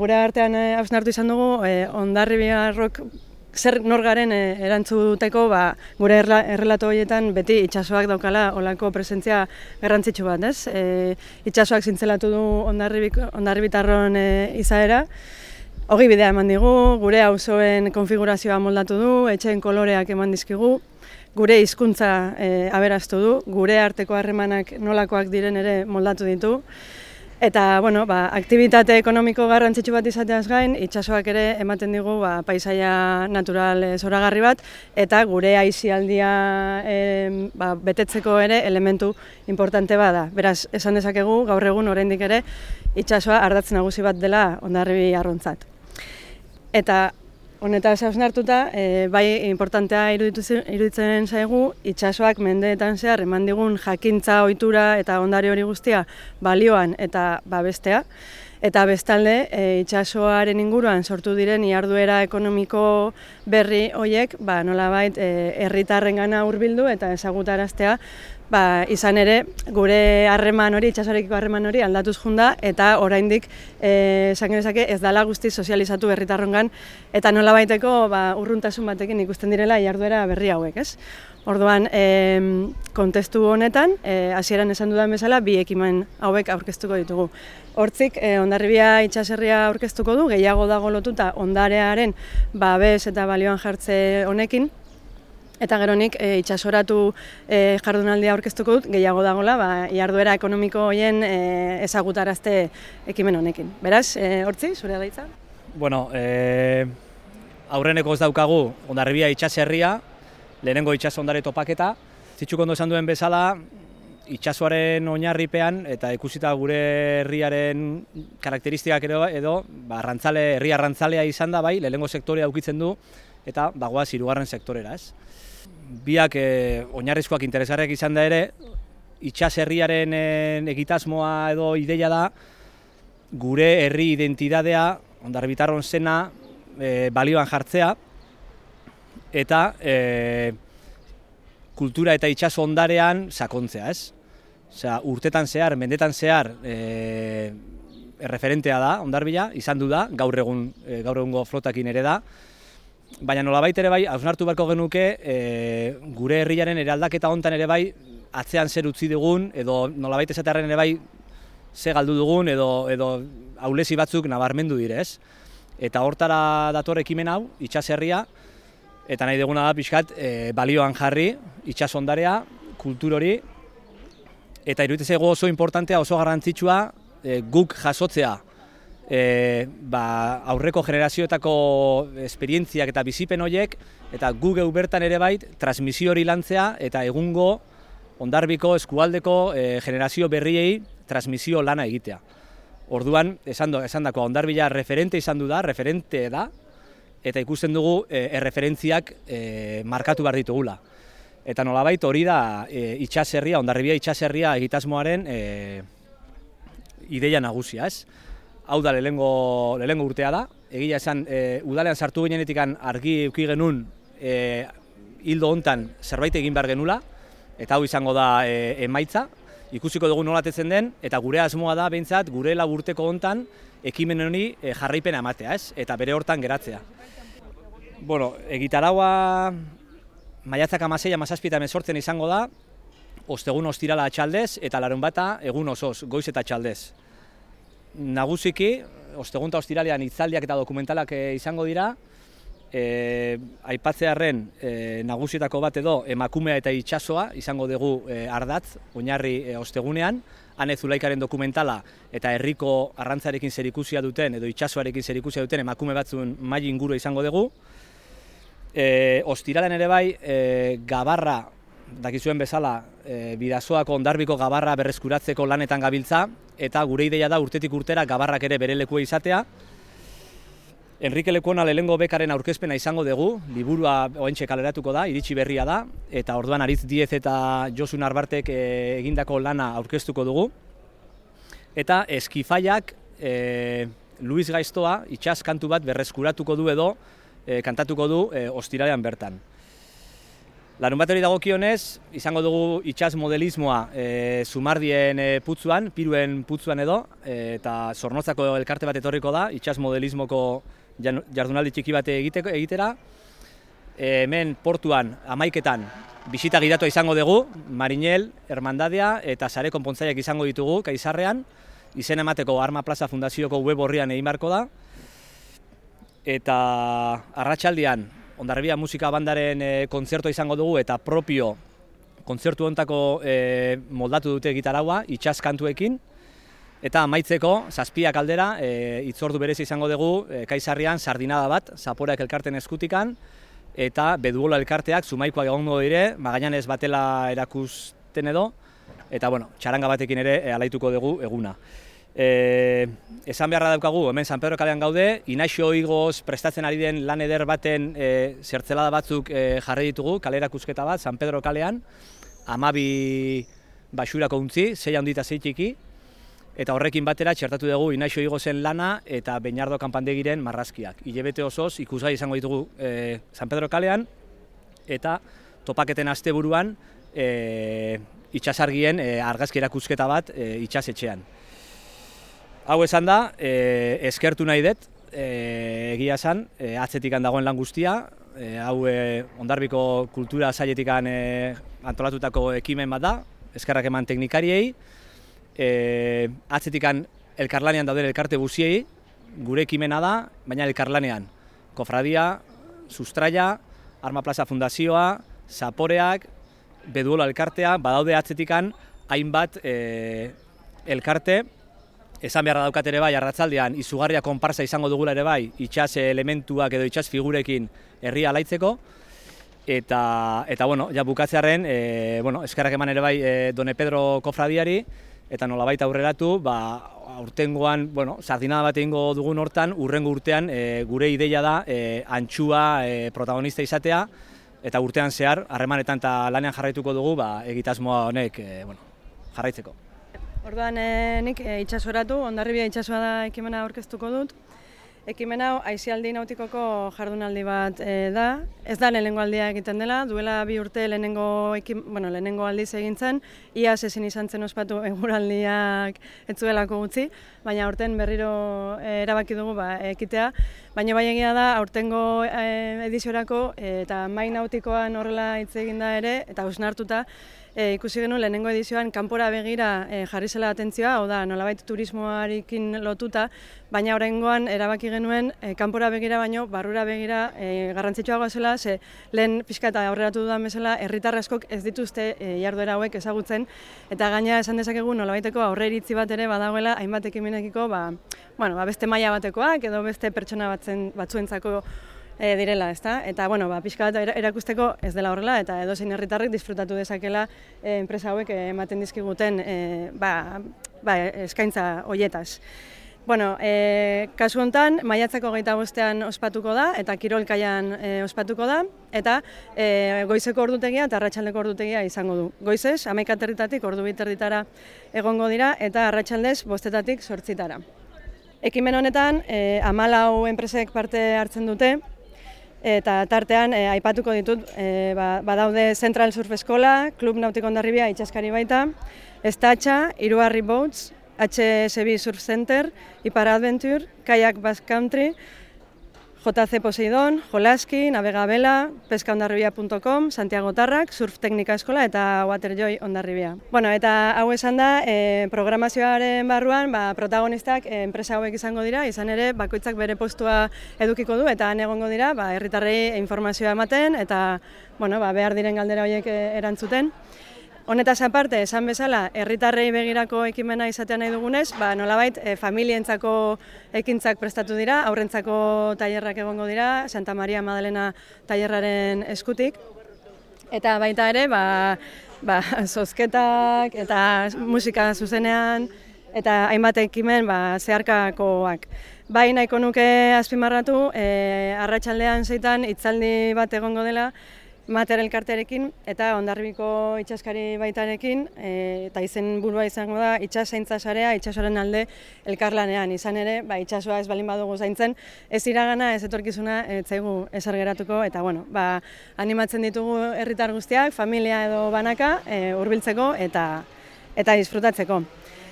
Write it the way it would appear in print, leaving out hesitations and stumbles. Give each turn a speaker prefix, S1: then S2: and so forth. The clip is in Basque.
S1: Gure artean hausnartu izan dugu, Hondarribiarrok zer nor garen erantzuteko gure errelato horietan beti itsasoak daukala olako presentzia garrantzitsu bat, ez? Itsasoak zintzelatu du hondarribitarron izaera, hori bidea eman digu, gure auzoen konfigurazioa moldatu du, etxeen koloreak eman dizkigu, gure hizkuntza aberastu du, gure arteko harremanak nolakoak diren ere moldatu ditu. Eta, aktibitate ekonomiko garrantzitsu bat izateaz gain, itsasoak ere ematen digu paisaia natural zoragarri bat, eta gure aisialdia betetzeko ere elementu importante bada. Beraz, esan dezakegu, gaur egun oraindik ere itsasoa ardatz nagusi bat dela Hondarribiarrontzat. Eta honetaz hausnartuta, bai importantea iruditzen zaigu, itsasoak mendeetan zehar eman digun jakintza, ohitura eta ondare hori guztia balioan eta babestea. Eta bestalde, itsasoaren inguruan sortu diren iharduera ekonomiko berri horiek nolabait herritarrengana hurbildu eta ezagutaraztea, izan ere gure harreman hori, itsasoarekiko harreman hori aldatuz junda eta oraindik esan genezake ez dela guztiz sozializatu herritarrongan eta nolabaiteko urruntasun batekin ikusten direla iharduera berri hauek, ez? Orduan, kontestu honetan, hasieran esan dudan bezala, bi ekimen hauek aurkeztuko ditugu. Hortzik, Hondarribia itsaserria aurkeztuko du, gehiago dago lotuta ondarearen babes eta balioan jartze honekin, eta geronik itsasoratu jardunaldia aurkeztuko dut, gehiago dagoela, iharduera ekonomiko horien ezagutarazte ekimen honekin. Beraz, Hortzi, zure daitza?
S2: Bueno, aurreneko ez daukagu Hondarribia itsaserria, lehenengo itsaso ondare topaketa. Zitsuk ondo esan duen bezala, itsasoaren oinarripean eta ikusita gure herriaren karakteristikak edo herri arrantzalea izan da, lehenengo sektorea ukitzen du eta bagoaz hirugarren sektorera, ez? Biak oinarrizkoak interesgarriak izan da ere, itsaserriaren egitasmoa edo ideia da gure herri identitatea, Hondarribitarron zena balioan jartzea eta kultura eta itsaso ondarean sakontzea, ez? Osea, urtetan zehar, mendetan zehar erreferentea da Hondarribia, izan du da, gaur egungo flotakin ere da. Baina nolabait ere hausnartu beharko genuke gure herriaren eraldaketa hontan ere atzean zer utzi dugun edo nolabait esatearren ere ze galdu dugun edo ahulezi batzuk nabarmendu dire, ez? Eta hortara dator ekimen hau, itsaserria, eta nahi duguna da pixkat balioan jarri, itsaso ondarea, kultur hori, eta iruditzen zaigu oso importantea, oso garrantzitsua guk jasotzea aurreko generazioetako esperientziak eta bizipen horiek, eta gu geu bertan ere transmisio hori lantzea eta egungo Hondarribiko eskualdeko generazio berriei transmisio lana egitea. Orduan, esandakoa Hondarribia referente da, eta ikusten dugu erreferentziak markatu behar ditugula. Eta nolabait hori da itsaserria, Hondarribia itsaserria egitasmoaren ideia nagusia, ez? Hau da lehenengo urtea da, egia esan udalean sartu ginenetik argi eduki genuen hildo hontan zerbait egin behar genula, eta hau izango da emaitza, ikusiko dugu nolatetzen den, eta gure asmoa da behintzat gure urteko hontan ekimen honi jarraipena ematea, ez? Eta bere hortan geratzea. Bueno, egitaraua maiatzak 16, 17 eta 18 izango da, ostegun ostirala atxaldez eta larunbata egun osoz, goiz eta atxaldez. Nagusiki, ostegun eta ostiralean hitzaldiak eta dokumentalak izango dira, aipatzearren nagusietako bat edo emakumea eta itsasoa izango dugu ardatz, oinarri ostegunean, Ane Zulaikaren dokumentala eta herriko arrantzarekin zerikusia duten edo itsasoarekin zerikusia duten emakume batzuen maila inguru izango dugu. Ostiralean ere gabarra, dakizuen bezala, Bidasoako Hondarribiko gabarra berreskuratzeko lanetan gabiltza, eta gure ideia da urtetik urtera gabarrak ere bere lekua izatea. Enrique Lekuona lehenengo bekaren aurkezpena izango dugu, liburua oraintxe kaleratuko da, iritsi berria da, eta orduan Aritz Diez eta Josu Narbartek egindako lana aurkeztuko dugu. Eta Eskifaiak Luis Gaiztoa itsas kantu bat berreskuratuko du edo kantatuko du ostiralean bertan. Larunbateri dagokionez, izango dugu itsas modelismoa Zumardien putzuan, Piruen putzuan edo, eta Zornotzako elkarte bat etorriko da, itsas modelismoko jardunaldi txiki bat egitera. Hemen portuan, 11etan, bisita gidatua izango dugu, Marinel, Hermandadia eta sare konpontzaileak izango ditugu Kaizarrean, izen emateko Arma Plaza Fundazioko web orrian egin beharko da. Eta arratsaldean Hondarribia Musika Bandaren kontzertua izango dugu eta propio kontzertu hontako moldatu dute gitaraua, itsas kantuekin. Eta amaitzeko, 7 aldera, hitzordu berezi izango dugu Kaizarrian sardinada bat, Zaporeak elkarten eskutikan, eta Beduola elkarteak Zumaikoak egongo dire, Magallanez batela erakusten edo, eta bueno, txaranga batekin ere alaituko dugu eguna. Esan beharra daukagu, hemen San Pedro kalean gaude, Inaxio Igoz prestatzen ari den lan eder baten zertzelada batzuk jarri ditugu, kale erakusketa bat, San Pedro kalean, 12 baxurako untzi, 6 handi eta 6 txiki, eta horrekin batera txertatu dugu Inaxio Igozen lana eta Beñardo Kanpandegiren marrazkiak. Hilabete osoz ikusgai izango ditugu San Pedro kalean, eta topaketen asteburuan itsasargien argazki erakusketa bat itsasetxean. Hau esan da, eskertu nahi dut, egia esan, atzetikan dagoen lan guztia, hau Hondarbiko kultura sailetikan antolatutako ekimen bat da, eskerrak eman teknikariei, atzetikan elkarlanean dauden elkarte guziei, gure ekimena da, baina elkarlanean Kofradia, Sustraia, Arma Plaza Fundazioa, Zaporeak, Beduola elkartea, badaude atzetikan hainbat elkarte. Esan beharra daukat ere bai, arratzaldean izugarria konparsa izango dugula ere bai, itsas elementuak edo itsas figurekin herria alaitzeko. Eta bueno, ja bukatzearen, eskerrak eman ere bai Done Pedro Kofradiari, eta nolabait aurreratu, aurtengoan, sardinada bat egingo dugun hortan, urrengo urtean gure ideia da antxua protagonista izatea, eta urtean zehar, harremanetan eta lanean jarraituko dugu, egitasmoa honek jarraitzeko.
S1: Orduan nik itsasoratu, Hondarribia itsasoa da ekimena aurkeztuko dut. Ekimen hau aisialdi nautikoko jardunaldi bat da. Ez da lehenengo aldia egiten dela, duela 2 urte lehenengo aldiz egin zen, iaz ezin izan zen ospatu eguraldiak ez zuelako gutxi, baina aurten berriro erabaki dugu ekitea. Baina bai egia da, aurtengo ediziorako eta mai nautikoan horrela hitz egin da ere, eta hausnartuta, ikusi genuen lehenengo edizioan kanpora begira jarri zela atentzioa, hau da, nolabait turismoarekin lotuta, baina oraingoan erabaki genuen kanpora begira baino barrura begira garrantzitsuagoa zela, ze lehen pixka eta aurreratu dudan bezala herritar askok ez dituzte jarduera hauek ezagutzen, eta gaina esan dezakegu nolabaiteko aurreiritzi bat ere badagoela hainbat ekimenekiko beste maila batekoak edo beste pertsona batzuentzako direla, ezta? Eta pixka bat erakusteko ez dela horrela eta edozein herritarrek disfrutatu dezakela enpresa hauek ematen dizkiguten eskaintza hoietaz. Kasu honetan, maiatzako 25ean ospatuko da eta kirolkaian ospatuko da eta goizeko ordutegia eta arratsaldeko ordutegia izango du. Goizez, 11:00 ordu 2:30 egongo dira eta arratsaldez 5:00 8:00. Ekimen honetan 14 enpresek parte hartzen dute, eta tartean aipatuko ditut, badaude Central Surf Eskola, Klub Nautiko Hondarribia itsaskari baita, Estatxa, Iruarri Boats, HSB Surf Center, Ipar Adventure, Kayak Basque Country, JC Poseidon, Jolaski, Navegabela, pescahondarribia.com, Santiago Tarrak, Surf Teknika Eskola eta Waterjoy Hondarribia. Eta hau esan da, programazioaren barruan protagonistak enpresa hauek izango dira, izan ere bakoitzak bere postua edukiko du eta han egongo dira herritarrei informazioa ematen eta behar diren galdera horiek erantzuten. Honetaz aparte, esan bezala, herritarrei begirako ekimena izatea nahi dugunez, nolabait familientzako ekintzak prestatu dira, haurrentzako tailerrak egongo dira, Santa Maria Madalena tailerraren eskutik. Eta baita ere, zozketak eta musika zuzenean eta hainbat ekimen zeharkakoak. Bai nahiko nuke azpimarratu, arratsaldean 6 hitzaldi bat egongo dela, Mater elkartearekin eta Hondarribiko itsaskari baitarekin, eta izen burua izango da itsasaintza sarea itsasoaren alde elkarlanean. Izan ere, itsasoa ez balin badugu zaintzen, ez iragana, ez etorkizuna, ez zaigu ezer geratuko, eta animatzen ditugu herritar guztiak, familia edo banaka, hurbiltzeko eta disfrutatzeko.